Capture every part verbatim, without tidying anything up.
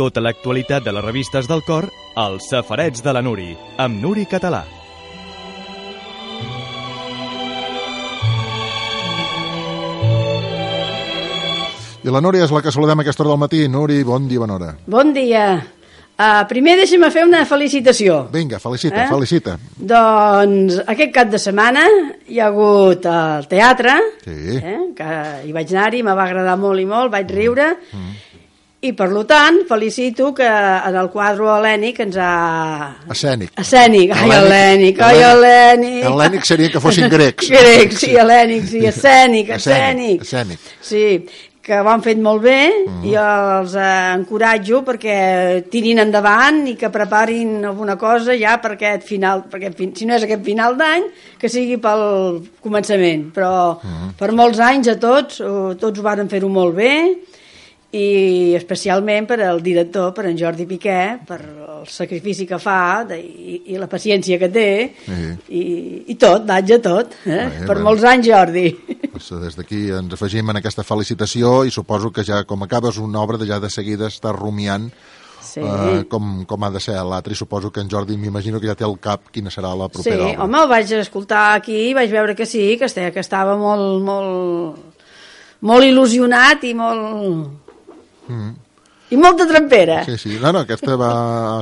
Tota l'actualitat de les revistes del cor, als Safarets de la Nuri, amb Nuri Català. I la Núria és la que saludem a aquesta hora del matí. Núria, bon dia, bona hora. Bon dia. Uh, primer deixa'm fer una felicitació. Vinga, felicita, eh? felicita. Doncs aquest cap de setmana hi ha hagut el teatre, sí. eh? que hi vaig anar-hi, me va agradar molt i molt, vaig riure, mm. i per tant felicito que en el quadre hel·lènic ens ha... Escènic. Escènic, ai, hel·lènic, ai, hel·lènic. Hel·lènic seria que fossin grecs. Grecs, sí, hel·lènic, sí, escènic, escènic. Escènic. Sí, que ho han fet molt bé, mm. i els eh, encoratjo perquè tirin endavant i que preparin alguna cosa ja per aquest final, perquè si no és aquest final d'any, que sigui pel començament, però mm. per molts anys a tots, tots ho varen fer-ho molt bé, i especialment per al director, per en Jordi Piqué, per el sacrifici que fa de, i, i la paciència que té, sí. i, i tot, vaig a tot, eh? Bé, per bé. Molts anys, Jordi. Pues des d'aquí ens afegim en aquesta felicitació i suposo que ja com acabes una obra de ja de seguida estàs rumiant sí. uh, com, com ha de ser l'altre, i suposo que en Jordi m'imagino que ja té al cap quina serà la propera sí, obra. Sí, home, el vaig escoltar aquí i vaig veure que sí, que estava, que estava molt, molt, molt il·lusionat i molt... Mm. i molta trempera. Sí, sí, no, no, aquesta va,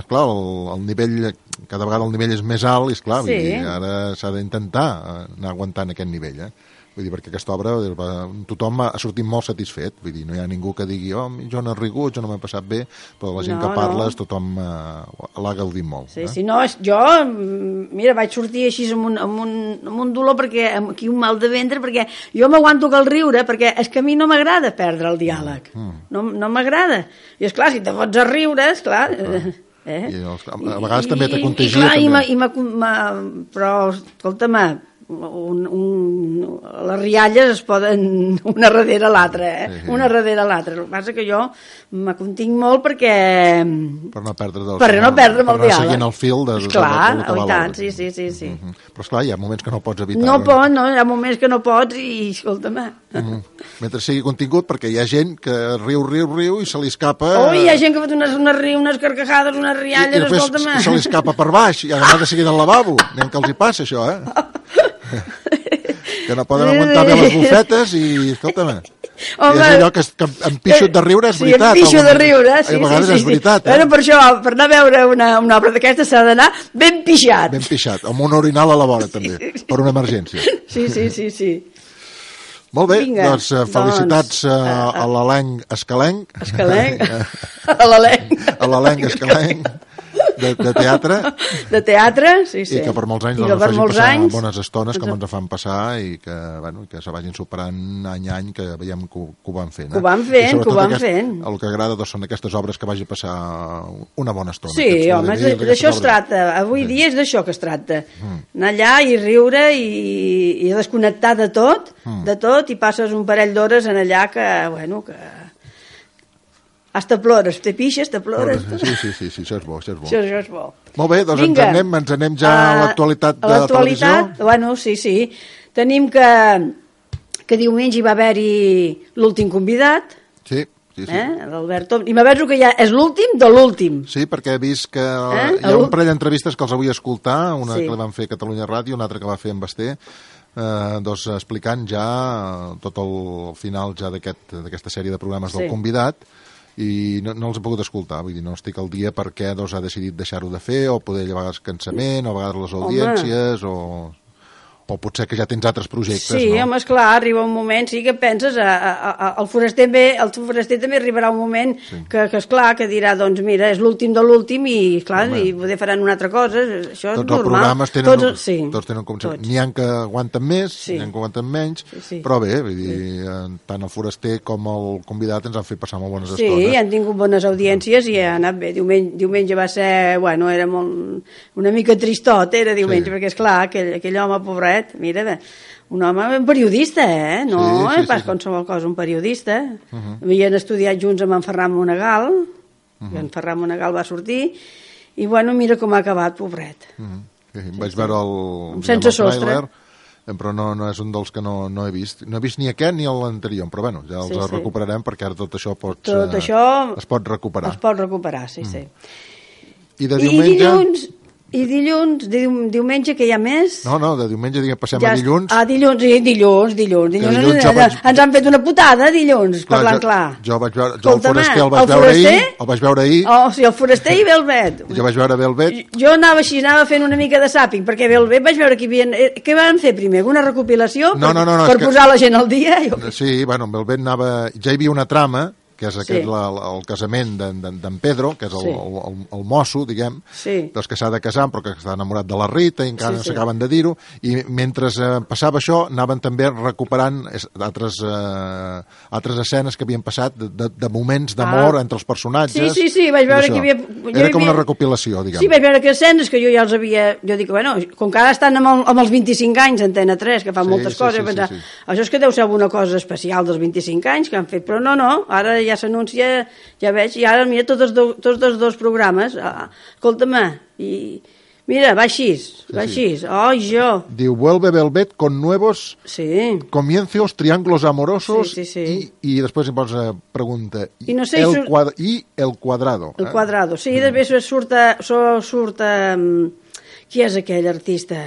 clar, el, el nivell, cada vegada el nivell és més alt i esclar, sí. Vull dir, ara s'ha d'intentar anar aguantant aquest nivell, eh? Vull dir, perquè aquesta obra tothom ha sortit molt satisfet, vull dir, no hi ha ningú que digui oh, jo no he rigut, jo no m'he passat bé, però la gent no, que parles, no. Tothom eh, l'ha gaudit molt. Sí, eh? sí, no, jo, mira, vaig sortir així amb un, amb un, amb un dolor, perquè aquí un mal de ventre, perquè jo m'aguanto cal riure, perquè és que a mi no m'agrada perdre el diàleg, mm. no, no m'agrada. I esclar, si te fots a riure, esclar... Eh, eh? I els, a vegades I, també te contagia. I, clar, també. I ma, i ma, però, escolta-me, Un, un, les rialles es poden una darrere l'altra, eh? Sí, sí. Una darrere l'altra. El que passa que jo m'acontinc molt perquè... Per no perdre del per no perdre el diàleg. Seguint el fil de, esclar, de, de, de, de tant, sí, sí, sí. sí. Uh -huh. Però esclar, hi ha moments que no pots evitar. No pot, no, hi ha moments que no pots i, escolta'm... Uh -huh. Mentre sigui contingut, perquè hi ha gent que riu, riu, riu i se li escapa... Oh, hi ha gent que fa unes, unes, riu, unes carcajades, unes rialles, escolta'm... I se li escapa per baix i ha d'anar de seguida al lavabo. Anem que els hi passa, això, eh? Que no poden aguantar bé les bufetes i, escolta'm, home, i és allò que, que em pixo de riure, és veritat. Sí, em pixo de riure, sí, a vegades sí, sí. és veritat. Eh? Bueno, per això, per anar a veure una, una obra d'aquesta s'ha d'anar ben pixat. Ben pixat, amb un orinal a la vora, també, per una emergència. Sí, sí, sí, sí. Molt bé, Vinga, doncs felicitats doncs, uh, a l'elenc escalenc. Escalenc? A l'elenc. A l'elenc escalenc. De, de teatre. De teatre, sí, sí. I que per molts anys doncs, ens facin molts passar anys, bones estones com ens fan passar i que, bueno, que se vagin superant any a any, que veiem que, que ho van fent. Eh? Que ho van fent, que ho van aquest, fent. El que agrada doncs, són aquestes obres que vagi a passar una bona estona. Sí, home, d'això es tracta. Avui dia és d'això que es tracta. Mm. Anar allà i riure i, i desconnectar de tot, mm. de tot, i passes un parell d'hores en allà que, bueno, que... Hasta plores, te pixes, te plores. Sí, sí, sí, sí, això és bo, això és bo. Això, això és bo. Molt bé, doncs ens anem, ens anem ja a l'actualitat de la televisió. Bueno, sí, sí. Tenim que, que diumenge hi va haver-hi l'últim convidat. Sí, sí, sí. Eh? L'Albert Tom. I m'avenço que ja és l'últim de l'últim. Sí, perquè he vist que eh? hi ha un parell d'entrevistes que els vull escoltar, una sí. que van fer a Catalunya Ràdio, una altra que va fer en Basté, eh, doncs explicant ja tot el final ja d'aquesta aquest, sèrie de programes sí. del convidat, i no, no els he pogut escoltar, vull dir, no estic al dia perquè doncs, ha decidit deixar-ho de fer, o poder a vegades cansament, o a vegades les audiències, Home. o... o potser que ja tens altres projectes, sí, no? Sí, home, esclar, arriba un moment, sí que penses, a, a, a, el, foraster bé, el foraster també arribarà un moment sí. que, que, esclar, que dirà, doncs mira, és l'últim de l'últim i, esclar, home. I poder faran una altra cosa, això és tots normal. Els programes tenen, tots, un, sí, tots tenen com... Tots. N'hi ha que aguanten més, sí. n'hi ha que aguanten menys, sí, sí. però bé, vull dir, sí. tant el foraster com el convidat ens han fet passar molt bones sí, estones. Sí, han tingut bones audiències i ha anat bé. Diumenge, diumenge va ser, bueno, era molt, una mica tristot, era diumenge, sí. perquè, esclar, aquell, aquell home pobret, mira, bé, un home un periodista, eh? No sí, sí, és pas sí, qualsevol cosa, un periodista. Uh -huh. Havien estudiat junts amb en Ferran Monegal, uh -huh. i en Ferran Monegal va sortir, i bueno, mira com ha acabat, pobret. Uh -huh. sí, vaig veure el... Sense el sostre. Trailer, però no, no és un dels que no, no he vist. No he vist ni aquest ni l'anterior, però bueno, ja els sí, sí. recuperarem perquè ara tot això, pots, tot eh, això es pot recuperar. Es pot recuperar, sí, mm. sí. I de diumenge... I dilluns... I dilluns, diu, diumenge, que hi ha més? No, no, de diumenge diguem, passem ja, a dilluns. Ah, dilluns, sí, dilluns, dilluns. dilluns, dilluns ens, vaig... ens han fet una putada, dilluns, clar, parlant jo, clar. Jo vaig veure, jo el Foraster el vaig el veure foraster? ahir, el vaig veure ahir. Oh, sí, el Foraster i Velvet. Jo vaig veure Velvet. Jo anava així, anava fent una mica de zàping, perquè Velvet vaig veure que hi havia... Què van fer primer? Una recopilació? No, no, no, no, per per posar que... la gent al dia? Jo... Sí, bueno, Velvet anava... Ja hi havia una trama, que és aquest, sí. la, el casament d'en Pedro, que és el, sí. el, el, el mosso, diguem, sí. doncs que s'ha de casar, però que està enamorat de la Rita, i encara sí, no sí. s'acaben de dir-ho, i mentre eh, passava això, anaven també recuperant altres, eh, altres escenes que havien passat, de, de, de moments d'amor ah. entre els personatges. Sí, sí, sí, vaig veure que hi havia... Jo Era com havia... una recopilació, diguem. Sí, vaig veure que escenes que jo ja els havia... Jo dic, bueno, com que ara estan amb, el, amb els vint-i-cinc anys, Antena tres, que fan sí, moltes sí, coses, sí, pensar, sí, sí. això és que deu ser alguna cosa especial dels vint-i-cinc anys que han fet, però no, no, ara ja s'anuncia... Ja veig, i ara mira tots els, do, tots els dos programes, ah, escolta'm, i mira, va així, va així, sí, sí. oh, jo. Diu, vuelve Velvet con nuevos sí. comienzos, triángulos amorosos, sí, sí, sí. I, i després em posa pregunta, I, no sé, el, surt... quadra, i el quadrado. El quadrado, sí, mm. després surt, surt, surt um, qui és aquell artista?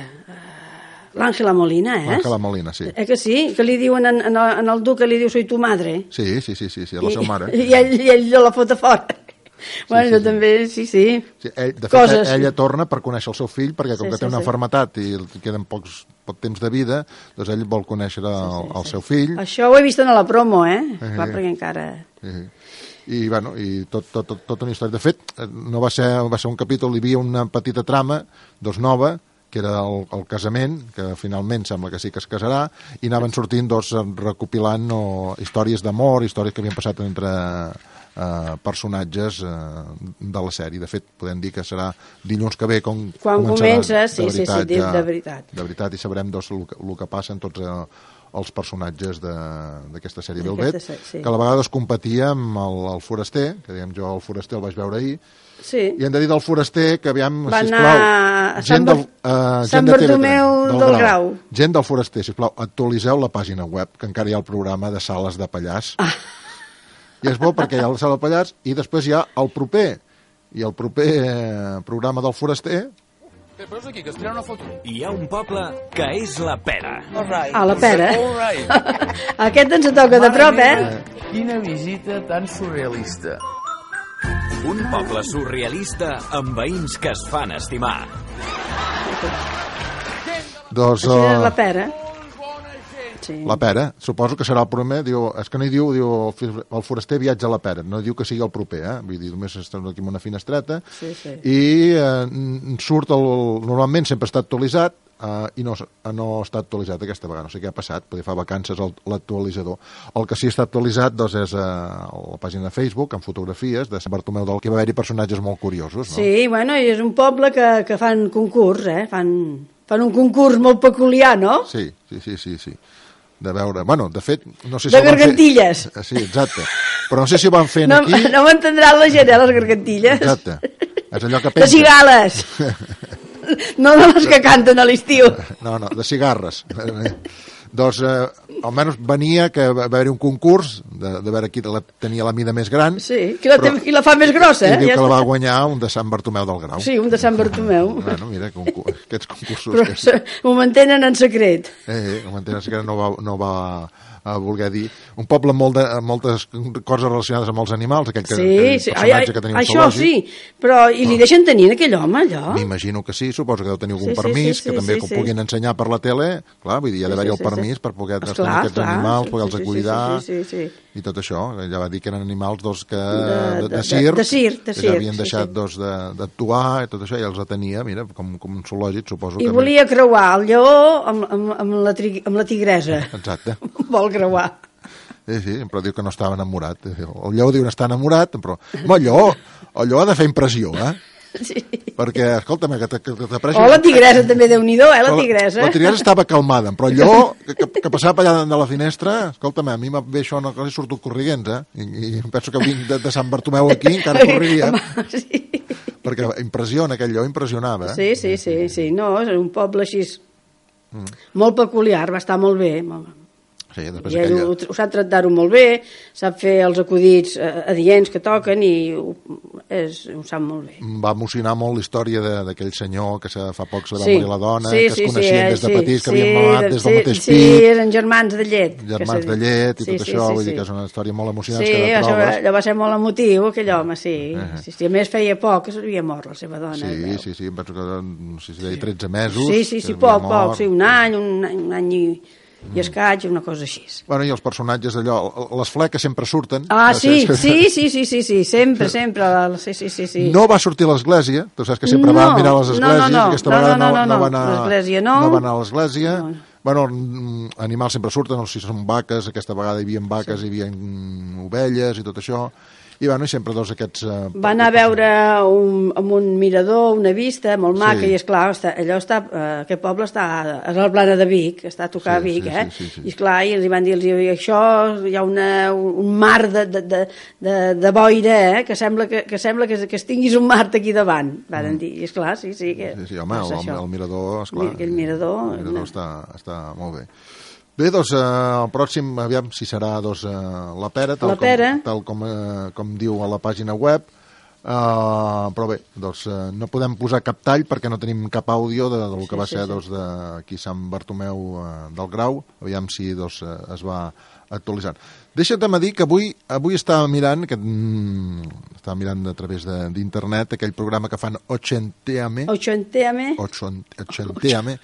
L'Àngela Molina, eh? L'Àngela Molina, sí. Eh que sí? Que li diuen en, en, en el duc, que li diu soy tu madre. Sí, sí, sí, sí, sí a la I, seva mare. I ell, i ell la fot a fora. Sí, bueno, sí, jo sí. també, sí, sí. sí ell, de fet, Coses. ella torna per conèixer el seu fill, perquè com sí, que té sí, una sí. malaltia i queden pocs, poc temps de vida, doncs ell vol conèixer el, sí, sí, el seu fill. Això ho he vist en la promo, eh? eh Clar, perquè encara... Eh, i, bueno, i tot, tot, tot, tota una història. De fet, no va ser, va ser un capítol, hi havia una petita trama, dos nova, que era el, el casament, que finalment sembla que sí que es casarà, i anaven sortint doncs, recopilant o, històries d'amor, històries que havien passat entre eh, personatges eh, de la sèrie. De fet, podem dir que serà dilluns que ve com quan comença, sí, veritat, sí, sí, ja, de veritat. De veritat, i sabrem doncs, el, el que passa en tots eh, els personatges d'aquesta sèrie Velvet, sí. que a la vegada es competia amb el, el Foraster, que diguem jo el Foraster el vaig veure ahir, sí. i hem de dir del Foraster que aviam, va sisplau, a gent del, uh, Sant Bartomeu del, del Grau. Gent del Foraster, sisplau, actualitzeu la pàgina web, que encara hi ha el programa de Sales de Pallars. Ah. I és bo perquè hi ha la Sala de Pallars i després hi ha el proper, i el proper eh, programa del Foraster... Què veus aquí, que es tira una foto? Hi ha un poble que és la Pera. Right. Ah, la Pera. Right. Aquest ens toca de prop, eh? Quina visita tan surrealista. Un poble surrealista amb veïns que es fan estimar. Doncs, Això és la Pera. Sí. La Pera, suposo que serà el primer, diu, és que no hi diu, diu el Foraster viatja a la Pera, no diu que sigui el proper, eh? Vull dir, només estem aquí en una finestreta, sí, sí. i eh, surt, el, normalment sempre està actualitzat, eh, i no, no està actualitzat aquesta vegada, no sé què ha passat, perquè fa vacances l'actualitzador. El que sí està actualitzat doncs, és eh, la pàgina de Facebook, amb fotografies de Sant Bartomeu del que va haver-hi personatges molt curiosos, no? Sí, bueno, i és un poble que, que fan concurs, eh? Fan, fan un concurs molt peculiar, no? Sí, sí, sí, sí, sí. De veure, bueno, de fet, no sé si... De gargantilles. Fer... Sí, exacte. Però no sé si ho van fent no, aquí... No m'entendrà la gent, eh, les gargantilles. Exacte. És allò que pensa... De cigales. No de les que canten a l'estiu. No, no, de cigarres. Doncs, eh, almenys venia que va haver-hi un concurs de, de veure qui la, tenia la mida més gran. Sí, qui la, però, qui la fa més grossa, eh? I diu ja que la va guanyar un de Sant Bartomeu del Grau. Sí, un de Sant Bartomeu. Bueno, mira, concurs, aquests concursos... Però que... ho mantenen en secret. Eh, eh, ho mantenen en secret, no va... No va a voler dir, un poble amb, molt de, amb moltes coses relacionades amb els animals, aquell que, sí, aquell sí. personatge ai, ai, que tenim això zoològic. Sí, però i li deixen tenir aquell home, allò? M'imagino que sí, suposo que deu tenir algun sí, permís, sí, sí, que també sí, que ho sí. puguin ensenyar per la tele, clar, vull dir, hi ha d'haver-hi sí, sí, el permís sí. per poder estar amb aquests clar, animals, poder-los sí, cuidar, sí, sí, sí, sí. i tot això, ja va dir que eren animals doncs, que, de, de, de, de circ, de, de circ, de que circ, ja havien sí, deixat sí. doncs, d'actuar i tot això, ja els atenia, mira, com, com un zoològic, suposo I que... I volia creuar el lleó amb, amb, amb, la, tri, amb la tigresa. Exacte. Vol creuar. Sí, sí, però diu que no estava enamorat. El lleó diu que està enamorat, però... Home, el lleó, el lleó ha de fer impressió, eh? Sí. Perquè, escolta'm, que t'apreixi... Oh, la tigresa també, Déu-n'hi-do, eh, la tigresa. La, la tigresa estava calmada, però el lleó, que, que, que passava per allà de la finestra, escolta'm, a mi em ve això, no que li surto corriguents, eh? I, i penso que vinc de, de Sant Bartomeu aquí, encara correria. Home, sí. Perquè impressiona, aquell lleó impressionava, eh? Sí, sí, sí, sí, no, és un poble així... Mm. Molt peculiar, va estar molt bé, molt bé. Sí, I aquella... ho, ho sap tractar-ho molt bé, sap fer els acudits adients que toquen i ho, és, ho sap molt bé. Va emocionar molt la història d'aquell senyor que fa poc se va sí. morir la dona, sí, que es sí, coneixien sí, des de sí, petits, que sí, havien mamat des del sí, mateix sí, pit. Sí, eren germans de llet. Germans de llet i tot sí, això, sí, vull sí, dir que és una història molt emocionant. Sí, que de això, proves. allò va ser molt emotiu, aquell home, sí. Uh-huh. sí, sí. A més, feia poc que s'havia mort la seva dona. Sí, sí, sí, em penso que no sé si deia tretze mesos. Sí, sí, sí, poc, poc, sí, un any, un any, un any i... i escaig, una cosa així. Bueno, i els personatges d'allò, les fleques sempre surten. Ah, sí, sí, sí, sí, sí, sí, sempre, sempre, sí, sí, sí, sí. No va sortir a l'església, tu saps que sempre no, va mirar les esglésies, no, no, no, aquesta no, vegada no, no, no, no, va anar, l'església no. no va anar a l'església. No. Bueno, animals sempre surten, no sé si són vaques, aquesta vegada hi havia vaques, sí. hi havia ovelles i tot això. I, bueno, i sempre dos aquests... Uh, va anar a veure un, amb un mirador, una vista molt maca, sí. i esclar, està, allò està, uh, aquest poble està a la plana de Vic, està a tocar sí, Vic, sí, eh? Sí, sí, sí. I esclar, i els van dir, això hi ha una, un mar de, de, de, de, de boira, eh? Que sembla que, que, sembla que, que es tinguis un mar aquí davant, van mm. dir, i esclar, sí, sí. Que, sí, sí, home, el, el, el mirador, esclar. Aquell mirador... El mirador no. està, està molt bé. Bé, doncs, eh, el pròxim, aviam si serà doncs, eh, la pera, tal, la pera. Com, tal com, eh, com diu a la pàgina web, eh, però bé, doncs, eh, no podem posar cap tall perquè no tenim cap àudio de, del que sí, va ser sí, doncs, de aquí Sant Bartomeu eh, del Grau, aviam si doncs, eh, es va actualitzant. Deixa'm dir que avui, avui estava mirant, que, mm, estava mirant a través d'internet aquell programa que fan Ochenteame, Ochenteame, Ochenteame,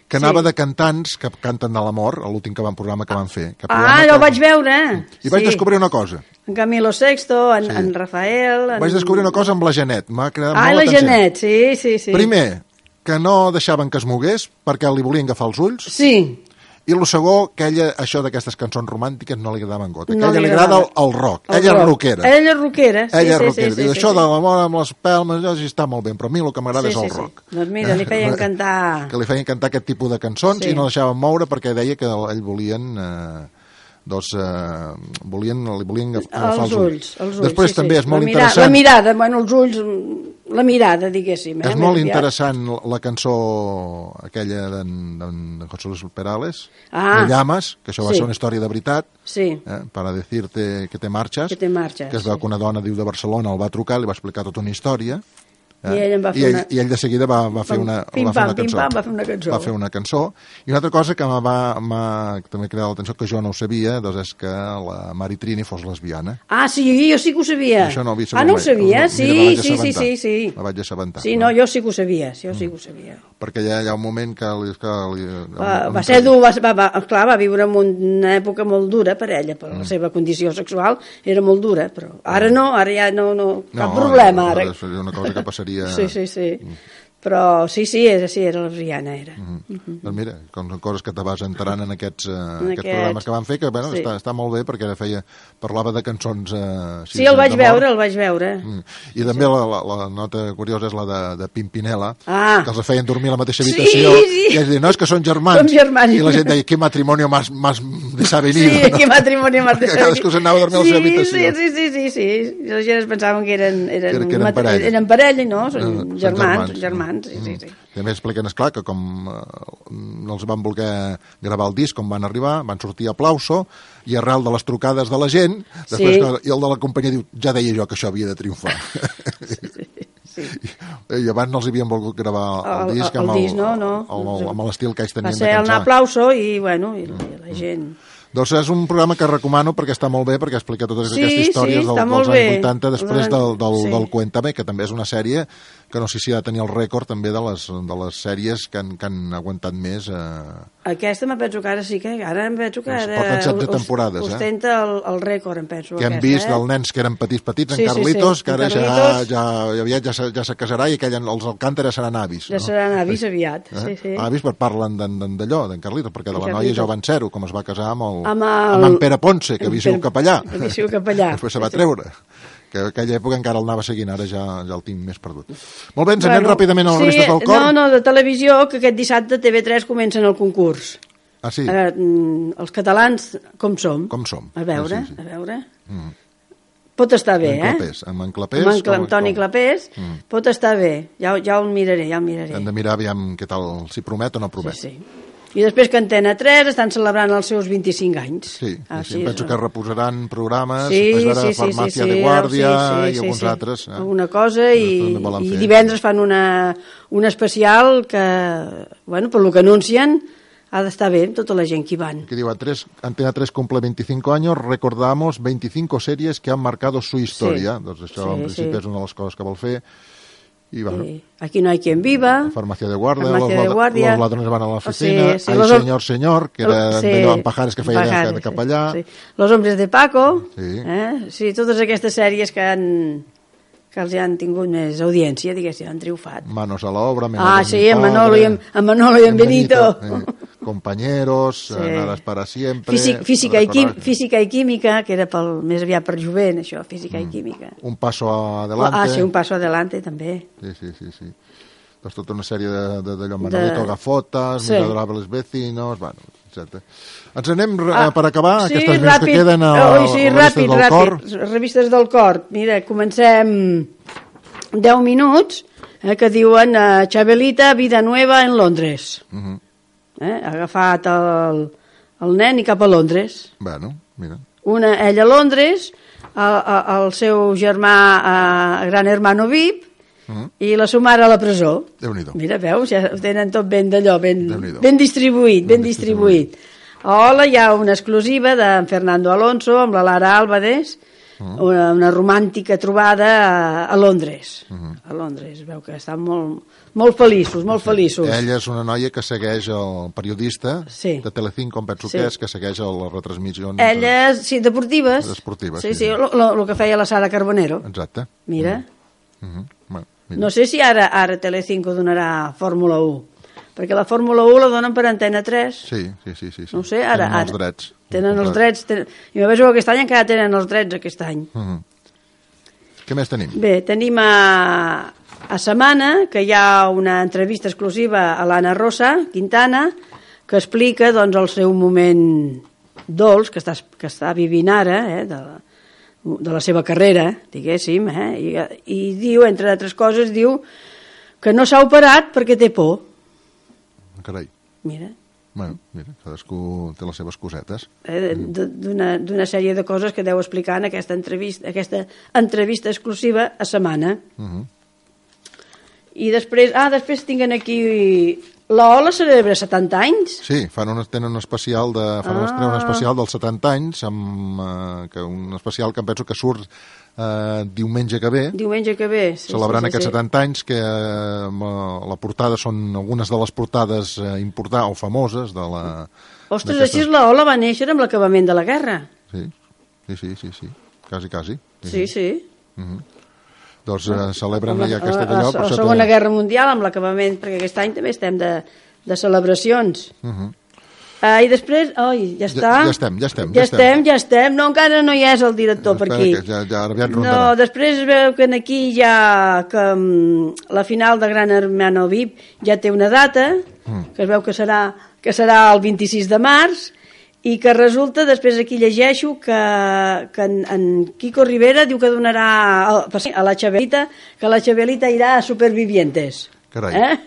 que anava sí. de cantants que canten de l'amor, l'últim que van programa que van fer. Que ah, que... ho vaig veure. I vaig sí. descobrir una cosa. En Camilo Sexto, en, sí. en Rafael... En... Vaig descobrir una cosa amb la Janet. M'ha creat ah, molt la l'atenció. Janet, sí, sí, sí. Primer, que no deixaven que es mogués perquè li volien agafar els ulls. Sí. I el segon, que ella, això d'aquestes cançons romàntiques no li agradaven gota. Que no ella li agrada el, el rock. El ella rock. és rockera. Ella és rockera, sí, ella és sí, rockera. sí, Diu, sí, això sí, de l'amor amb les pelmes, ja sí està molt bé, però a mi el que m'agrada sí, és el sí, rock. Sí. Doncs mira, li feien cantar... Que li feien cantar aquest tipus de cançons sí. i no deixaven moure perquè deia que ell volien... Eh, doncs eh, volien, li volien agafar els, els ulls. Els ulls Després sí, també sí. és molt la mirada, interessant... La mirada, bueno, els ulls, la mirada, diguéssim. Eh? És molt interessant la cançó aquella d'en José Luis Perales, ah, de Llamas, que això va sí. ser una història de veritat, sí. eh, para decirte que te marxes, que, te marxes, que es veu sí. que una dona diu de Barcelona el va trucar, li va explicar tota una història, Eh? I, ell en va fer I, ell, una... I ell de seguida va, va, fer, una, pim, va fer una pam, cançó. Pim, pam, va fer una cançó. Va fer una cançó. I una altra cosa que m'ha també cridat l'atenció, que jo no ho sabia, doncs és que la Mari Trini fos lesbiana. Ah, sí, jo sí que ho sabia. Això no ho havia ah, no ho sabia? No, sí, mira, sí, sí, sí, sí. La vaig assabentar. Sí, no, jo sí que ho sabia, jo sí que ho sabia. Mm. Perquè ja hi ha un moment que... Li, que li, va, va ser dur, va, va, clar, va viure en una època molt dura per ella, per mm. la seva condició sexual era molt dura, però ara no, ara ja no, no cap no, problema. Ara seria una cosa que passaria... sí, sí, sí. Però sí, sí, és, sí, era lesbiana, era. Mm -hmm. Mm-hmm. Doncs mira, com són coses que te vas enterant en aquests, uh, en aquests programes que van fer, que bueno, sí. està, està molt bé, perquè ara feia, parlava de cançons... Uh, sí, el vaig veure, el vaig veure. Mm. I també sí. la, la, la nota curiosa és la de, de Pimpinela, ah. que els feien dormir a la mateixa habitació, sí, sí. i ells deien, no, és que són germans. Som germans. I la gent deia, qué matrimonio más, más desavenido. Sí, no? qué matrimonio más desavenido. Cadascú s'anava a dormir sí, a la seva habitació. Sí, sí, sí, sí, sí. I la gent es pensaven que eren, eren, que, que eren parella. Eren parella, no? Són no, germans, són germans, sí, sí, sí. També expliquen, esclar, que com eh, no els van voler gravar el disc com van arribar, van sortir a aplauso, i arrel de les trucades de la gent, després sí. que, i el de la companyia diu, ja deia jo que això havia de triomfar. Sí. Sí. I, I abans no els havien volgut gravar el, el disc amb el, disc, no, no. el, amb l'estil que ells tenien de cançó. Va ser cançar. un aplauso i, bueno, i la, i la gent... Doncs és un programa que recomano perquè està molt bé, perquè explica totes sí, aquestes històries sí, del, dels anys bé. vuitanta, després del, del, sí. del Cuéntame, que també és una sèrie que no sé si ha de tenir el rècord també de les, de les sèries que han, que han aguantat més. Eh... Aquesta me penso que ara sí que... Ara em penso que ara... Porten setze temporades, eh? Ostenta el, el rècord, em penso. Que hem aquesta, vist eh? els nens que eren petits, petits, sí, en Carlitos, sí, sí. que ara Carlitos... ja, ja, aviat ja, se, ja se casarà i aquell, els Alcántara seran avis. Ja no? seran avis aviat, eh? sí, sí. Avis, per parlen d'allò, d'en Carlitos, perquè de la noia ja ho van ser-ho, com es va casar amb, el, amb, el... amb en Pere Ponce, que havia sigut capellà. Que havia sigut capellà. Després se va treure. Que en aquella època encara el anava seguint, ara ja, ja el tinc més perdut. Molt bé, ens anem bueno, ràpidament a les sí, revistes del cor. No, no, de televisió, que aquest dissabte T V tres comencen el concurs. Ah, sí? Eh, els catalans, com som? Com som. A veure, sí, sí. a veure... Mm. Pot estar bé, en eh? Clapés, amb en Clapés. Amb en Cla com, Toni com... Clapés, mm. pot estar bé. Ja, ja el miraré, ja el miraré. Hem de mirar aviam què tal, si promet o no promet. Sí, sí. I després que Antena tres estan celebrant els seus vint-i-cinc anys. Sí, ah, sí, sí penso que reposaran programes, sí, veure sí, sí, Farmàcia sí, sí, de Guàrdia sí, sí, i alguns sí, sí. altres. Eh? Alguna cosa, i, i divendres fan una, un especial que, bueno, per lo que anuncien, ha d'estar bé amb tota la gent que hi van. Que diu, Antena tres cumple veinticinco años, recordamos veinticinco series que han marcado su historia. Sí. Doncs això, sí, en principi, sí. és una de les coses que vol fer. Y bueno, sí. Aquí no hay quien viva. Farmacia de guardia, Farmacia los, de guardia. Los ladrones van a la oficina. Sí, sí, Ay, los... señor, señor, que era sí, d'allò amb Pajares que feia Pajares, de cap allà. Sí, sí. Los hombres de Paco. Sí. Eh? Sí, totes aquestes sèries que han... que els han tingut més audiència, diguéssim, han triomfat. Manos a l'obra, Ah, sí, en Manolo, i en, en Manolo i en Benito. Benito eh, compañeros, sí. Nadas para siempre... Físic, física, i quim, física i química, que era pel, més aviat per jovent, això, física mm. i química. Un paso adelante. Ah, sí, un paso adelante, també. Sí, sí, sí, sí. Doncs tota una sèrie d'allò, Manolito de... Gafotas, sí. Miserables vecinos, bueno, etcètera. Ens anem ah, per acabar, sí, aquestes més que queden a oh, sí, revistes ràpid, del ràpid. cor. Revistes del cor. Mira, comencem deu minuts, eh, que diuen uh, Chabelita, vida nueva en Londres. Uh -huh. eh, ha agafat el, el nen i cap a Londres. Bueno, mira. Una, ella a Londres, el, el seu germà, uh, gran hermano V I P, Uh -huh. i la sua mare a la presó. Déu-n'hi-do. Mira, veus, ja ho tenen tot ben d'allò, ben, ben distribuït, ben, ben distribuït. distribuït. Hola, hi ha una exclusiva d'en Fernando Alonso amb la Lara Álvarez, uh -huh. una, una romàntica trobada a, a Londres. Uh -huh. A Londres, veu que estan molt, molt feliços, molt sí. feliços. Ella és una noia que segueix el periodista sí. de Telecinco, com penso sí. que és, que segueix les retransmissions. Ella, de... sí, deportives. Deportives, sí. Sí, sí, el que feia la Sara Carbonero. Exacte. Mira. Uh -huh. Bueno. Mira. No sé si ara ara Telecinco donarà Fórmula u, perquè la Fórmula u la donen per Antena tres. Sí, sí, sí. sí, sí. No sé, ara... Tenen els ara, drets. Tenen els drets. Tenen... I me vejo que aquest any encara tenen els drets, aquest any. Uh -huh. Què més tenim? Bé, tenim a, a Setmana, que hi ha una entrevista exclusiva a l'Anna Rosa Quintana, que explica, doncs, el seu moment dolç que està, que està vivint ara, eh, de la de la seva carrera, diguéssim, eh? I, i diu, entre altres coses, diu que no s'ha operat perquè té por. Carai. Mira. Bueno, mira, cadascú té les seves cosetes. Eh, D'una sèrie de coses que deu explicar en aquesta entrevista, aquesta entrevista exclusiva a Setmana. Uh -huh. I després, ah, després tinguin aquí... La Ola celebra setanta anys. Sí, fan un, tenen un especial de, fan ah. un especial dels setanta anys, amb, uh, que un especial que em penso que surt uh, diumenge que ve. Diumenge que ve, sí. Celebrant sí, sí, aquests sí. setanta anys, que uh, la portada són algunes de les portades uh, importants o famoses de la... Ostres, així la Ola va néixer amb l'acabament de la guerra. Sí, sí, sí, sí, sí. quasi, quasi. Sí, sí. sí. Uh -huh. Doncs uh, celebren ja aquesta d'allò. La, la, la Segona Guerra Mundial amb l'acabament, perquè aquest any també estem de, de celebracions. Uh -huh. uh, I després, oi, ja està. Ja, ja estem, ja estem. Ja, ja estem, ja estem. No, encara no hi és el director per aquí. Ja, ja aviat rondarà. No, després veu que aquí ja que um, la final de Gran Hermano V I P ja té una data, uh. que es veu que serà, que serà el vint-i-sis de març, i que resulta, després aquí llegeixo, que, que en, en Kiko Rivera diu que donarà a, a la Chabelita, que la Chabelita irà a Supervivientes. Carai. Eh?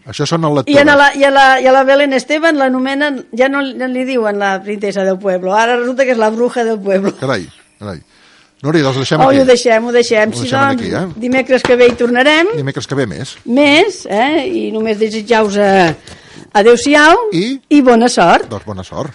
Això són el lectures. I, en la, i, a la, I a la Belén Esteban l'anomenen, ja no, no li diuen la princesa del pueblo, ara resulta que és la bruja del pueblo. Carai, carai. Núria, doncs deixem oh, aquí. Ho deixem, ho deixem. Ho si deixem doncs, aquí, eh? Dimecres que ve hi tornarem. Dimecres que ve més. Més, eh? I només desitjar-vos... Eh, adéu-siau I, i bona sort. Doncs bona sort.